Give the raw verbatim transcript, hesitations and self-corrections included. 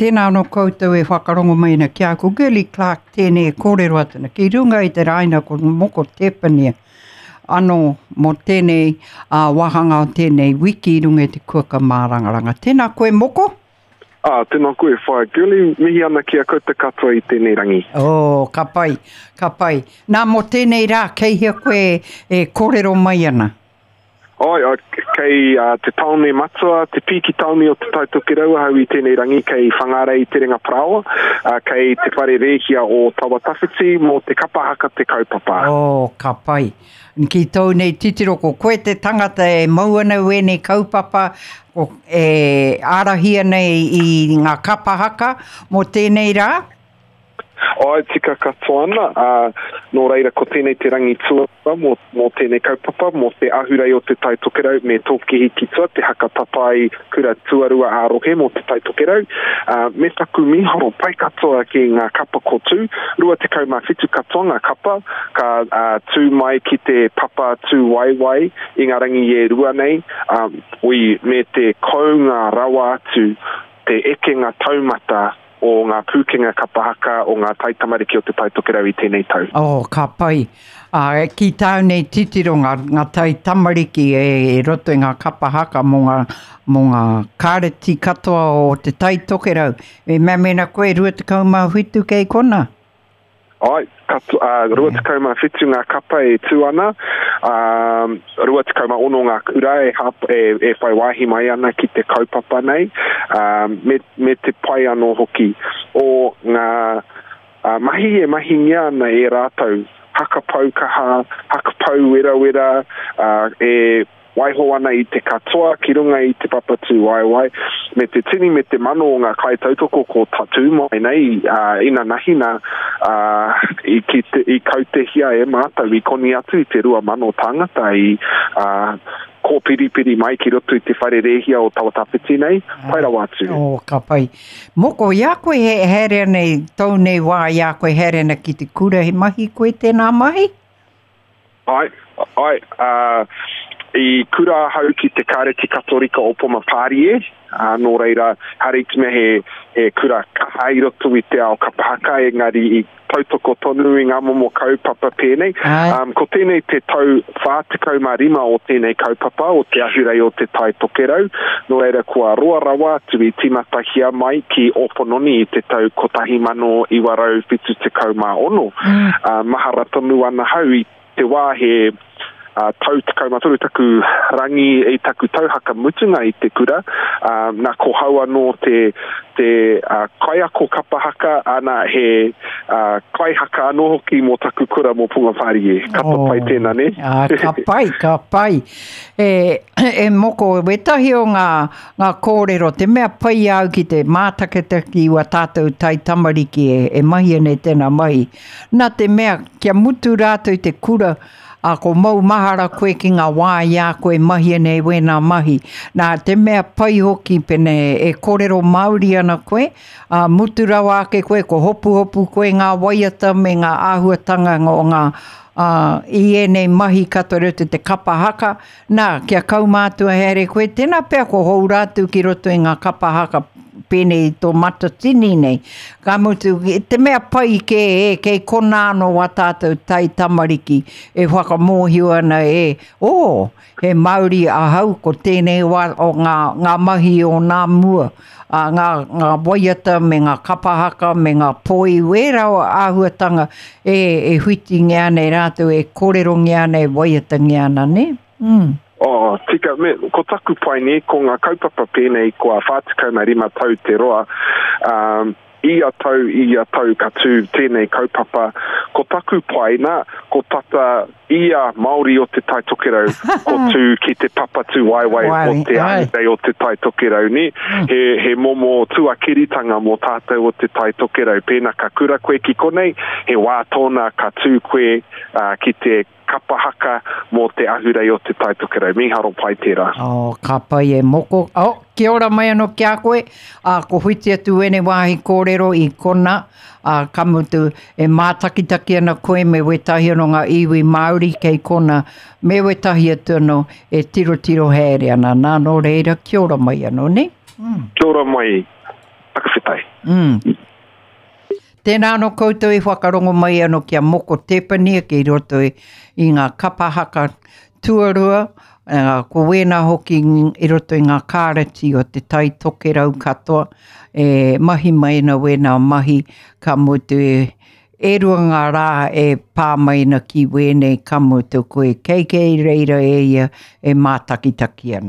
tēnā anō koutou e whakarongo mai ana ki a ko Girlie Clarke tēnei e kōrero atu ana. Ki runga i te raina ko Moko Tepania anō mō tēnei uh, wāhanga o tēnei wiki i runga i te kuaka mārangaranga. Tēnā koe Moko? Ah, tēnā koe whaea Girlie, mihi ana ki a koutou katoa i tēnei rangi. Oh, ka pai, ka pai. Nā, mō tēnei rā, kei hea koe e kōrero mai ana? Ai, ai, kei uh, te tāone matua, te pīki tāone o Te Tai Tokerau ahau i tēnei rangi, kei Whangārei Terenga Parāoa, uh, kei te whare rēhia o Tawa Tawhiti mō te kapa haka te kaupapa. Oh, ka pai. Ki tōu nei titiro, ko koe te tangata e mau ana wēnei kaupapa, ko, e ārahi ana i ngā kapa haka mō tēnei rā? Ai, tika katoa ana, uh, nō reira ko tēnei te rangi tuarua mō, mō tēnei kaupapa, mō te ahurei o Te Tai Tokerau me Tōkihi ki tua, te haka tatai kura tuarua ā-rohe mō Te Tai Tokerau, uh, me taku mīharo pai katoa ki ngā kapa ko tū, rua tekau mā whitu katoa ngā kapa, ka uh, tū mai ki te papa tū waiwai i ngā rangi e rua nei, um, ui, me te kounga rawa atu, te ekenga taumata o ngā pūkenga kapa haka o ngā taitamariki o Te Tai Tokerau i tēnei tau. Oh, ka pai. Uh, ki tāu nei titiro ngā, ngā taitamariki e, e roto i ngā kapa haka mō ngā, mō ngā kāreti katoa o Te Tai Tokerau. E mea mena koe rua tekau mā whitu kei kona? Ai, katu, uh, rua tekau mā whitu ngā kapa e tū ana, um, rua tekau mā ono ngā kura e, hap, e, e whai wāhi mai ana ki te kaupapa nei, um, me, me te pai anō hoki o ngā uh, mahi e mahingia ana e rātou, hakapau kaha, hakapau werawera, uh, e waiho ana i te katoa ki runga i te papa tūwaewae, me te tini me te mano o ngā kaitautoko ko tatū mai nei, uh, inanahi nā, uh, i, ki te, i kautehia e mātou, i koni atu i te rua mano tāngata i uh, kōpiripiri mai ki roto i te whare rēhia o Tawa Tawhiti nei, pai rawa atu. Oh, ka pai. Moko, i a koe he haere ana i tōu nei wā, i a koe haere ana ki te kura, he mahi koe tēnā mahi? Ai, ai, uh, i kura ahau ki te Kāreti Katorika o Poma Pārie, uh, nō reira, haere i te mea he, he kura kaha i roto i te ao kapa haka, engari i tautoko tonu i ngā momo kaupapa pēnei. Ai. Um, ko tēnei te tau whā tekau mā rima o tēnei kaupapa o te ahurei o Te Tai Tokerau, nō reira kua roa rawa atu i tīmatahia mai ki Ōpononi i te tau kotahi mano iwa rau whitu tekau mā ono. Mm. Uh, mahara tonu ana hau i te wā he Uh, tau tekau mā toru taku rangi i taku tauhaka mutunga i te kura, uh, nā ko hau anō te, te, uh, kaiako kapa haka, ana he, uh, kaihaka anō hoki mō taku kura mō Punga Pārie. Ka Oh. pai tēnā, ne? Ah, ka pai, ka pai. E, e moko, wetahi o ngā, ngā kōrero, te mea pai au ki te mātaketaki wa tātou tai tamariki e, e mahi nei tēnā mahi. Nā te mea, kia mutu rātou i te kura, a ko mau mahara koe ki ngā wā i a koe mahi nei wēnā mahi. Nā te mea pai hoki pene e kōrero Māori ana koe, a mutu rawa ake koe, ko hopuhopu koe ngā waiata me ngā āhuatanga o ngā, a, i ēnei mahi katoa roto te kapa haka. Nā, kia kaumātua haere koe, tēnā pea ko hou rātou ki roto i ngā kapa haka pēnei i tō matatini nei. Ka mutu, te mea pai ke e, kei kona anō wā tātou tai tamariki e whakamōhio ana e, oh, he Māori ahau ko tēnei wā o ngā, ngā mahi o nā mua, a, ngā, ngā waiata me ngā kapa haka me ngā poi, wērā o āhuatanga e, e huitingia ana e rātou, e kōrerongia ana, e waiatangia ana, ne? Mm. Oh, tika, me, ko taku pai nei, ko ngā kaupapa pēnei kua whā tekau mā rima tau te roa, um, ia tau, ia tau ka tū tēnei kaupapa. Ko taku pai nā, ko tata ia Māori o Te Tai Tokerau, ko tū ki te papa tū waiwai o te Ai. ahurei o Te Tai Tokerau, ne? He, he momo tuakiritanga mō tātou o Te Tai Tokerau. Pēnā ka kura koe ki konei, he wā tōna ka tū koe, uh, ki te kapa haka mō te ahurei o Te Tai Tokerau. Mīharo pai tērā. Oh, ka pai e moko. Oh, kia ora mai anō ki a koe. Ah, ko whiti atu ene wāhi kōrero i kona. Ah, ka mutu e mātakitaki ana koe me wetahi anō ngā iwi Māori kei kona. Me wetahi atu anō e tirotiro haere ana. Nā, nō reira, kia ora mai anō, ne? Mm. Kia ora mai. Whakawhetai. Mm. Tēnā anō koutou i whakarongo mai anō ki a Moko Tepania ki roto i, i ngā kapa haka tuarua, uh, ko wēnā hoki i roto i ngā kārati o te Tai Tokerau katoa, e mahi mai ana wēnā mahi, ka mutu e, e rua ngā rā e pā mai ana ki wēnei, ka mutu koe kei kei reira e ia e mātakitaki ana.